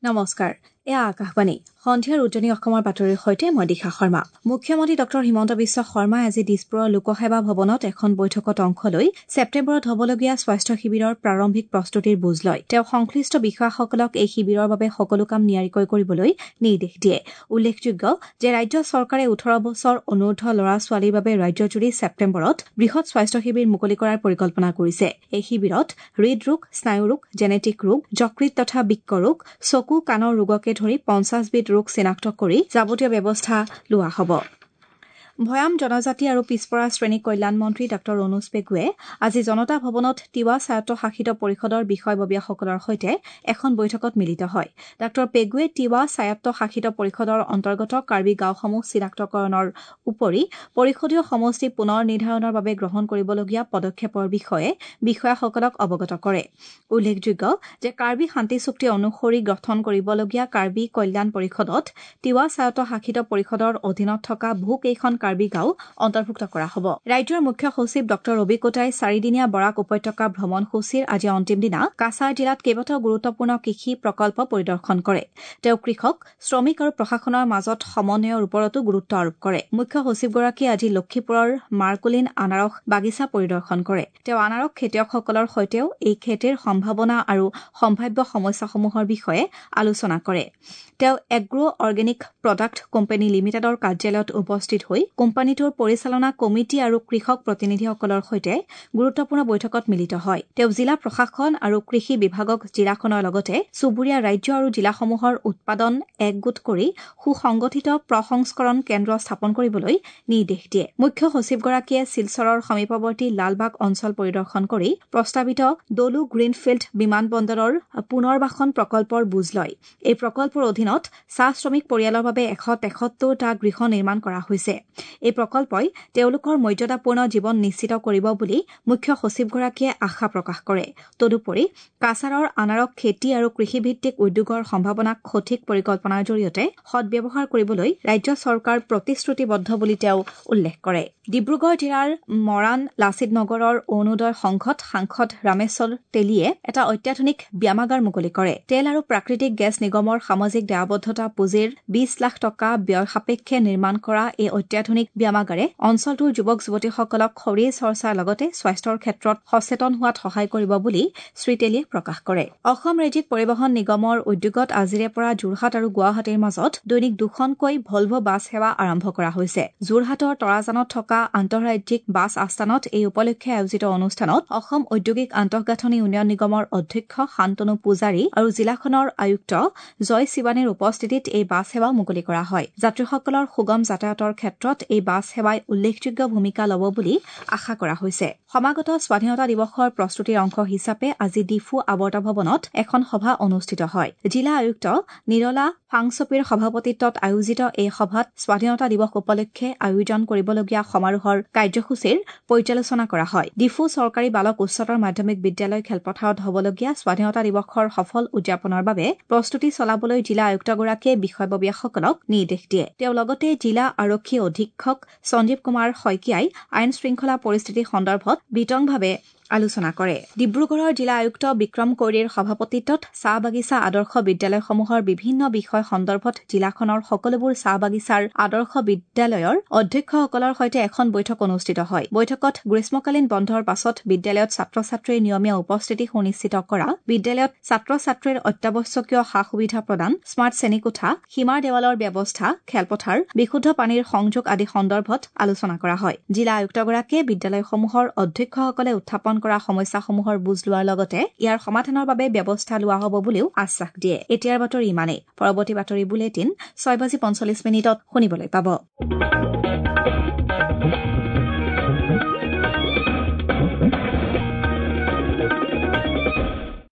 নমস্কাৰ, এয়া আকাশবাণী। সন্ধিয়াৰ উজনি অসমৰ বাতৰিৰ সৈতে মই দিশা শৰ্মা। মুখ্যমন্ত্ৰী ডঃ হিমন্ত বিশ্ব শৰ্মাই আজি দিছপুৰৰ লোকসেৱা ভৱনত এখন বৈঠকত অংশ লৈ ছেপ্টেম্বৰত হ'বলগীয়া স্বাস্থ্য শিবিৰৰ প্ৰাৰম্ভিক প্ৰস্তুতিৰ বুজ লয়। তেওঁ সংশ্লিষ্ট বিষয়াসকলক এই শিবিৰৰ বাবে সকলো কাম নিয়াৰিকৈ কৰিবলৈ নিৰ্দেশ দিয়ে। উল্লেখযোগ্য যে ৰাজ্য চৰকাৰে ১৮ বছৰ অনুৰ্ধ ল'ৰা ছোৱালীৰ বাবে ৰাজ্যজুৰি ছেপ্টেম্বৰত বৃহৎ স্বাস্থ্য শিবিৰ মুকলি কৰাৰ পৰিকল্পনা কৰিছে। এই শিবিৰত হৃদৰোগ, স্নায়ুৰোগ, জেনেটিক ৰোগ, যকৃত তথা বৃক্ক ৰোগ, চকু, কাণৰ ৰোগকে ধৰি ৫০বিধ ৰোগ চিনাক্ত কৰি যাৱতীয় ব্যৱস্থা লোৱা হ'ব। ভৈয়াম জনজাতি আৰু পিছপৰা শ্ৰেণী কল্যাণ মন্ত্ৰী ডাঃ ৰণোজ পেগুৱে আজি জনতা ভৱনত তিৱা স্বায়ত্তশাসিত পৰিষদৰ বিষয়ববীয়াসকলৰ সৈতে এখন বৈঠকত মিলিত হয়। ডাঃ পেগুৱে তিৱা স্বায়ত্তশাসিত পৰিষদৰ অন্তৰ্গত কাৰ্বি গাঁওসমূহ চিনাক্তকৰণৰ উপৰি পৰিষদীয় সমষ্টি পুনৰ নিৰ্ধাৰণৰ বাবে গ্ৰহণ কৰিবলগীয়া পদক্ষেপৰ বিষয়ে বিষয়াসকলক অৱগত কৰে। উল্লেখযোগ্য যে কাৰ্বি শান্তি চুক্তি অনুসৰি গঠন কৰিবলগীয়া কাৰ্বি কল্যাণ পৰিষদত তিৱা স্বায়ত্তশাসিত পৰিষদৰ অধীনত থকা বহুকেইখন কাৰ্বি গাঁও অন্তৰ্ভুক্ত কৰা হ'ব। ৰাজ্যৰ মুখ্য সচিব ডঃ ৰবি কোটাই চাৰিদিনীয়া বৰাক উপত্যকা ভ্ৰমণসূচীৰ আজি অন্তিম দিনা কাছাৰ জিলাত কেইবাটাও গুৰুত্বপূৰ্ণ কৃষি প্ৰকল্প পৰিদৰ্শন কৰে। তেওঁ কৃষক, শ্ৰমিক আৰু প্ৰশাসনৰ মাজত সমন্বয়ৰ ওপৰতো গুৰুত্ব আৰোপ কৰে। মুখ্য সচিবগৰাকীয়ে আজি লক্ষীপুৰৰ মাৰ্কুলিন আনাৰস বাগিচা পৰিদৰ্শন কৰে। তেওঁ আনাৰস খেতিয়কসকলৰ সৈতেও এই খেতিৰ সম্ভাৱনা আৰু সম্ভাৱ্য সমস্যাসমূহৰ বিষয়ে আলোচনা কৰে। তেওঁ এগ্ৰ অৰ্গেনিক প্ৰডাক্ট কোম্পানী লিমিটেডৰ কাৰ্যালয়ত উপস্থিত হৈ কোম্পানীটোৰ পৰিচালনা কমিটি আৰু কৃষক প্ৰতিনিধিসকলৰ সৈতে গুৰুত্বপূৰ্ণ বৈঠকত মিলিত হয়। তেওঁ জিলা প্ৰশাসন আৰু কৃষি বিভাগক জিলাখনৰ লগতে চুবুৰীয়া ৰাজ্য আৰু জিলাসমূহৰ উৎপাদন একগোট কৰি সুসংগঠিত প্ৰসংস্কৰণ কেন্দ্ৰ স্থাপন কৰিবলৈ নিৰ্দেশ দিয়ে। মুখ্য সচিবগৰাকীয়ে শিলচৰৰ সমীপৱৰ্তী লালবাগ অঞ্চল পৰিদৰ্শন কৰি প্ৰস্তাৱিত দলু গ্ৰীণফিল্ড বিমানবন্দৰৰ পুনৰ্বাসন প্ৰকল্পৰ বুজ লয়। এই প্ৰকল্পৰ অধীনত চাহ শ্ৰমিক পৰিয়ালৰ বাবে ১৭৩টা গৃহ নিৰ্মাণ কৰা হৈছে। এই প্ৰকল্পই তেওঁলোকৰ মৰ্যাদাপূৰ্ণ জীৱন নিশ্চিত কৰিব বুলি মুখ্য সচিবগৰাকীয়ে আশা প্ৰকাশ কৰে। তদুপৰি কাছাৰৰ আনাৰস খেতি আৰু কৃষিভিত্তিক উদ্যোগৰ সম্ভাৱনাক সঠিক পৰিকল্পনাৰ জৰিয়তে সদ্ব্যৱহাৰ কৰিবলৈ ৰাজ্য চৰকাৰ প্ৰতিশ্ৰুতিবদ্ধ বুলি তেওঁ উল্লেখ কৰে। ডিব্ৰুগড় জিলাৰ মৰাণ লাচিত নগৰৰ অৰুণোদয় সংঘত সাংসদ ৰামেশ্বৰ তেলীয়ে এটা অত্যাধুনিক ব্যায়ামাগাৰ মুকলি কৰে। তেল আৰু প্ৰাকৃতিক গেছ নিগমৰ সামাজিক দায়বদ্ধতা পুঁজিৰ ২০ লাখ টকা ব্যয় সাপেক্ষে নিৰ্মাণ কৰা এই অত্যাধুনিক ব্যায়ামাগাৰে অঞ্চলটোৰ যুৱক যুৱতীসকলক শৰীৰ চৰ্চাৰ লগতে স্বাস্থ্যৰ ক্ষেত্ৰত সচেতন হোৱাত সহায় কৰিব বুলি শ্ৰী তেলীয়ে প্ৰকাশ কৰে। অসম ৰাজ্যিক পৰিবহণ নিগমৰ উদ্যোগত আজিৰে পৰা যোৰহাট আৰু গুৱাহাটীৰ মাজত দৈনিক দুখনকৈ ভলভ বাছ সেৱা আৰম্ভ কৰা হৈছে। যোৰহাটৰ তৰাজানত থকা আন্তঃৰাজ্যিক বাছ আস্থানত এই উপলক্ষে আয়োজিত অনুষ্ঠানত অসম ঔদ্যোগিক আন্তঃগাঁথনি উন্নয়ন নিগমৰ অধ্যক্ষ শান্তনু পূজাৰী আৰু জিলাখনৰ আয়ুক্ত জয় শিৱানীৰ উপস্থিতিত এই বাছ সেৱা মুকলি কৰা হয়। যাত্ৰীসকলৰ সুগম যাতায়াতৰ ক্ষেত্ৰত এই বাছ সেৱাই উল্লেখযোগ্য ভূমিকা ল'ব বুলি আশা কৰা হৈছে। সমাগত স্বাধীনতা দিৱসৰ প্ৰস্তুতিৰ অংশ হিচাপে আজি ডিফু আৱৰ্ত ভৱনত এখন সভা অনুষ্ঠিত হয়। জিলা আয়ুক্ত নিৰলা ফাংচপিৰ সভাপতিত্বত আয়োজিত এই সভাত স্বাধীনতা দিৱস উপলক্ষে আয়োজন কৰিবলগীয়া সমাৰোহৰ কাৰ্যসূচীৰ পৰ্যালোচনা কৰা হয়। ডিফু চৰকাৰী বালক উচ্চতৰ মাধ্যমিক বিদ্যালয় খেলপথাৰত হ'বলগীয়া স্বাধীনতা দিৱসৰ সফল উদযাপনৰ বাবে প্ৰস্তুতি চলাবলৈ জিলা আয়ুক্তগৰাকীয়ে বিষয়ববীয়াসকলক নিৰ্দেশ দিয়ে। তেওঁ লগতে জিলা আৰক্ষী অধীক্ষক সঞ্জীৱ কুমাৰ শইকীয়াই আইন শৃংখলা পৰিস্থিতি সন্দৰ্ভত বিতংভাৱে আলোচনা কৰে। ডিব্ৰুগড়ৰ জিলা আয়ুক্ত বিক্ৰম কৈৰীৰ সভাপতিত্বত চাহ বাগিচা আদৰ্শ বিদ্যালয়সমূহৰ বিভিন্ন বিষয় সন্দৰ্ভত জিলাখনৰ সকলোবোৰ চাহ বাগিচাৰ আদৰ্শ বিদ্যালয়ৰ অধ্যক্ষসকলৰ সৈতে এখন বৈঠক অনুষ্ঠিত হয়। বৈঠকত গ্ৰীষ্মকালীন বন্ধৰ পাছত বিদ্যালয়ত ছাত্ৰ ছাত্ৰীৰ নিয়মীয়া উপস্থিতি সুনিশ্চিত কৰা, বিদ্যালয়ত ছাত্ৰ ছাত্ৰীৰ অত্যাৱশ্যকীয় সা সুবিধা প্ৰদান, স্মাৰ্ট শ্ৰেণীকোঠা, সীমাৰ দেৱালৰ ব্যৱস্থা, খেলপথাৰ, বিশুদ্ধ পানীৰ সংযোগ আদি সন্দৰ্ভত আলোচনা কৰা হয়। জিলা আয়ুক্তগৰাকীয়ে বিদ্যালয়সমূহৰ অধ্যক্ষসকলে উত্থাপন কৰা সমস্যাসমূহৰ বুজ লোৱাৰ লগতে ইয়াৰ সমাধানৰ বাবে ব্যৱস্থা লোৱা হ'ব বুলিও আশ্বাস দিয়ে। এতিয়াৰ বাতৰি ইমানেই। পৰৱৰ্তী বাতৰি বুলেটিন ৬:৪৫ শুনিবলৈ পাব।